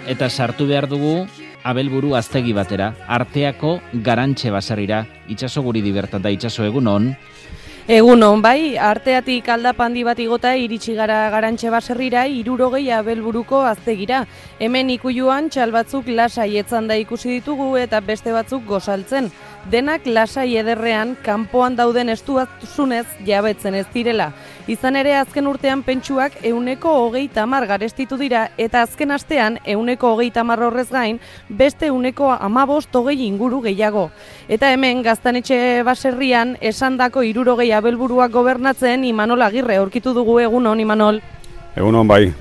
eta sartu behar dugu Abelburu aztegi batera, Arteako Garantxe baserrira. Itxaso guri dibertat da, Itxaso, egunon. Egunon, bai, Arteatik aldapandi bat igota iritsi gara Garantxe baserrira 60 Abelburuko aztegira. Hemen ikuiluan txal batzuk lasai etzanda ikusi ditugu eta beste batzuk gozaltzen. Denak lasai ederrean, kanpoan dauden estuazunez jabetzen ez direla. Izan ere azken urtean pentsuak 130 garestitu dira eta azken astean 130 horrez gain beste 115-20 inguru gehiago. Eta hemen Gaztanetxe baserrian esandako 60 Abelburuak gobernatzen Imanol Agirre aurkitu dugu. Egunon, Imanol. Egunon, bai.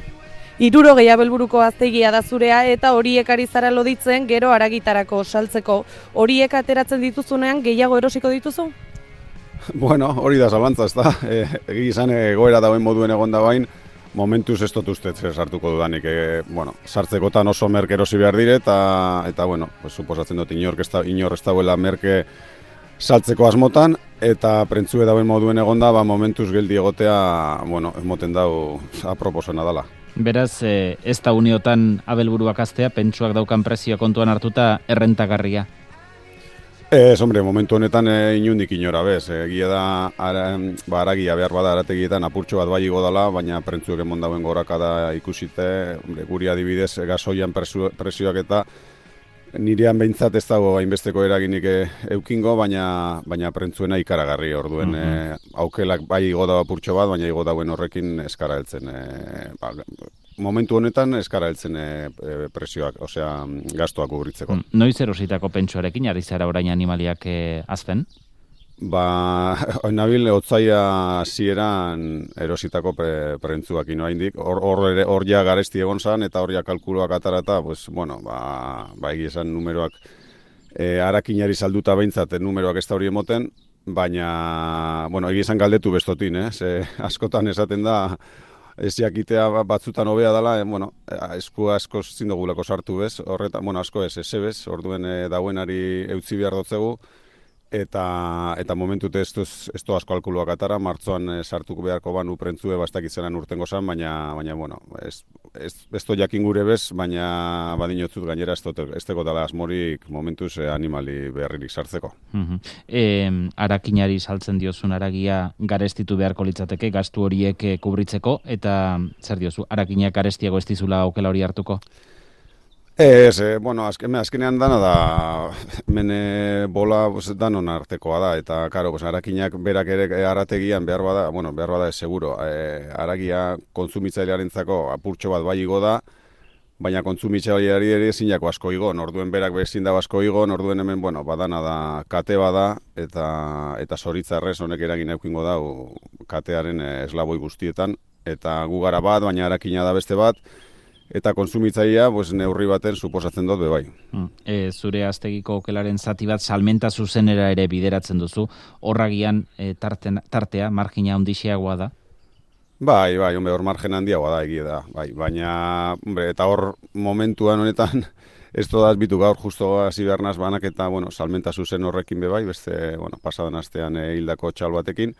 60 Abelburuko aztegia da zurea eta horiek ari zara loditzen gero haragitarako saltzeko. Horiek ateratzen dituzunean gehiago erosiko dituzu? Bueno, hori da zalantza, ez da. Egi izan egoera dauen moduen egon da bain, momentuz ez dut ustez sartuko dudanik. Sartzekotan oso merke erosi behar dire eta bueno, pues, suposatzen dut inor ez dauela merke saltzeko asmotan, eta prentzue dauen moduen egon da, momentuz geldi egotea, bueno, emoten dau aproposena dela. Beraz, ez da uniotan Abelburuak aztea, pentsuak daukan prezioa kontuan hartuta errentagarria? Hombre, momentu honetan inundik inora, bez. Egia da, haragia behar bada arategietan apurtxo bat bai igo dela, baina prentzuek emon dauen gorakada ikusite, guri adibidez, gasoian presioak eta nirean behintzat ez dago hainbesteko eraginik eukingo, baina prentzuena ikaragarri orduen. Aukelak bai igo da apurtxo bat, baina igo dauen horrekin eskara heltzen. Momentu honetan eskara heltzen presioak, osea, gastuak kubritzeko. Noiz erositako pentsuarekin, ari zara orain animaliak azten? Nabil otzaia zieran erositako prentzuak ino haindik. Hor ja garesti egon zan, eta hor ja kalkuloak atarata, pues, bueno, egizan numeroak harakinari salduta behintzat numeroak ez da hori emoten, baina, bueno, egizan galdetu bestotin, askotan esaten da, ez jakitea batzutan hobea dela, bueno, esku asko zindogulako sartu bez, horretan, bueno, asko ez bez, orduen dauenari eutzi behar dotzegu, eta momentute ez du asko alkuluak atara, martzoan sartuko beharko banu prentzue bastakitzenan urtengo zan, baina bueno, ez do jakin gure bez, baina badinotzut gainera ez teko dala asmorik momentuz animali beharririk sartzeko. Arakinari saltzen diozun aragia garestitu beharko litzateke, gastu horiek kubritzeko, eta zer diozu, arakinak garestiago ez dizula aukela hori hartuko? Bueno, azkenean dana da, mene bola danon artekoa da, eta, karo, arakinak berak ere arategian behar bada ez seguro. Aragia kontsumitzailearentzako apurtxo bat bai igo da, baina kontsumitzaileari ere zinako asko igo, orduen berak bezin da asko igo, orduen hemen, bueno, badana da, kate bada, eta zoritzarrez honek eragin eukingo da, katearen eslaboi guztietan, eta gu gara bat, baina arakina da beste bat, eta kontsumitzailea neurri baten suposatzen dut bebai. Zure aztegiko okelaren zati bat salmenta zuzenera ere bideratzen duzu, horragian tartea, margina handixeagoa da? Bai, hor margen handiagoa da egia da, baina, eta hor momentuan honetan, ez todaz bitu gaur justo hasi behar naz banak eta, bueno, salmenta zuzen horrekin bebai, beste, bueno, pasadan astean hildako txal batekin,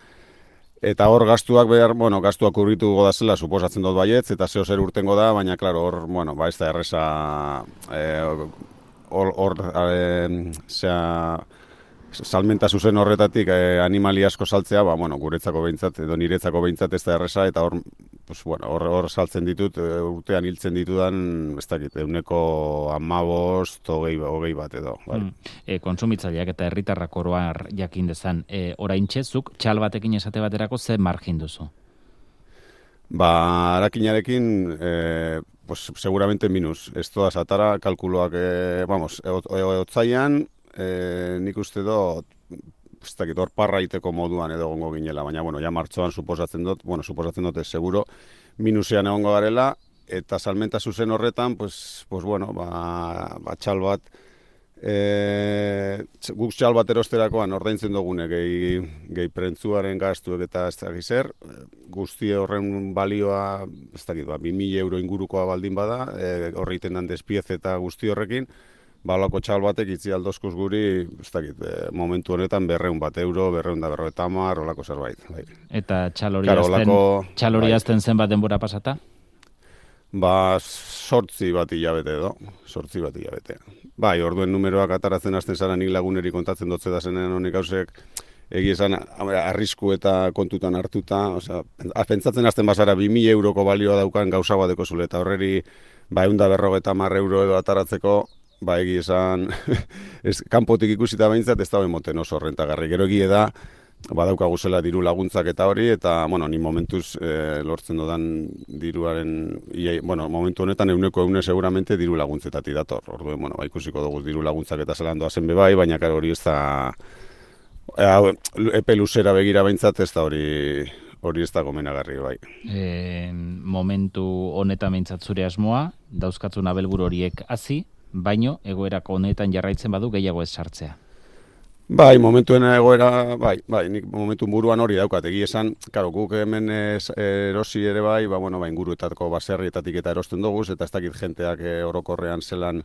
eta hor gastuak urritu godazela suposatzen dut baietz, eta zeo zer urtengo da, baina, klaro, hor, bueno, ez da erreza, salmenta zuzen horretatik animali asko saltzea, guretzako behintzat, edo niretzako behintzat ez da erreza, eta hor saltzen ditut, urtean hiltzen ditudan, ez dakit, 15-20 bat edo. Kontsumitzaileak eta herritarrak oroar jakin dezan, oraintxe zuk txal batekin esate baterako ze margin duzu? Arakinarekin, seguramente minus. Ez toda satara, kalkuloak, otzaian, nik uste dut, ez dakit, hor parraiteko moduan edo gongo ginela, baina, ja martzoan suposatzen dut ez seguro, minusean egongo garela, eta salmenta zuzen horretan, txal bat, guk txal bat erosterakoan ordaintzen dugune gehi prentzuaren gastuek eta ez dakit zer, guzti horren balioa, ez dakit, 2.000 euro ingurukoa baldin bada, horreiten dan despiez eta guzti horrekin, balako txal batek itzi aldozkuz guri, ez dakit, momentu honetan 200 bat euro, 250, olako zerbait. Eta txal hori azten zenbat denbora pasata? Ba, 8 bat hilabete edo, 8 bat hilabete. Bai, orduen numeroak ataratzen hasten zara nik laguneri kontatzen dotze da zenean honek gauzek, esan arrisku eta kontutan hartuta, osea, pentsatzen hasten bazara 2.000 euroko balioa daukan gauza bat dekozule, eta horreri, ba, 150 euro edo ataratzeko, ba, esan, kanpotik ikusita behintzat, ez da moten oso rentagarri. Gero da, badaukagu zela diru laguntzak eta hori, eta, bueno, ni momentuz lortzen dodan diruaren, momentu honetan 100% seguramente diru laguntzetatik dator. Orduen, bueno, ikusiko dugu diru laguntzak eta zelan doazen bebai, baina karo hori ez da, epe luzera begira behintzat ez da hori ez da gomenagarri bai. Momentu honetan behintzat zure asmoa, dauzkatzun abelburu horiek hazi, baino egoerak honetan jarraitzen badu gehiago ez sartzea. Bai, momentuen egoera, bai, nik momentu buruan hori daukat, egia esan, karo, guk hemen erosi ere bai, inguruetako baserrietatik eta erosten dugu, eta ez dakit jenteak orokorrean zelan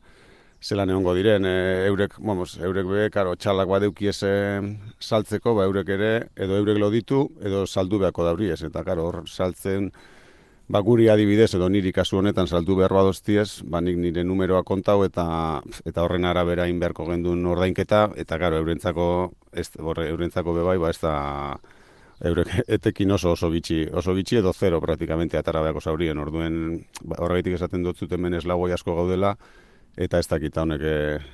egongo diren, eurek be, karo, txalak badeuki saltzeko, eurek ere, edo eurek loditu, edo saldu beharko dauriez, eta karo, hor saltzen, guri adibidez, edo niri kasu honetan saldu behar badoztiez, nik nire numeroa kontau eta horren arabera inberko gendun ordainketa, eta karo, eurentzako bebai, ez da, eurek etekin oso bitxi edo zero praktikamente atara beharko zaurien, orduen horregatik esaten dut zuten ez lagoi asko gaudela, eta ez dakita honek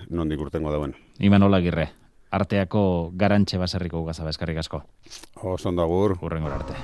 nondik urtengo dauen. Imanol Agirre, Arteako Garantxe baserriko ugazaba, eskerrik asko. Oso ondo agur. Hurrengora arte.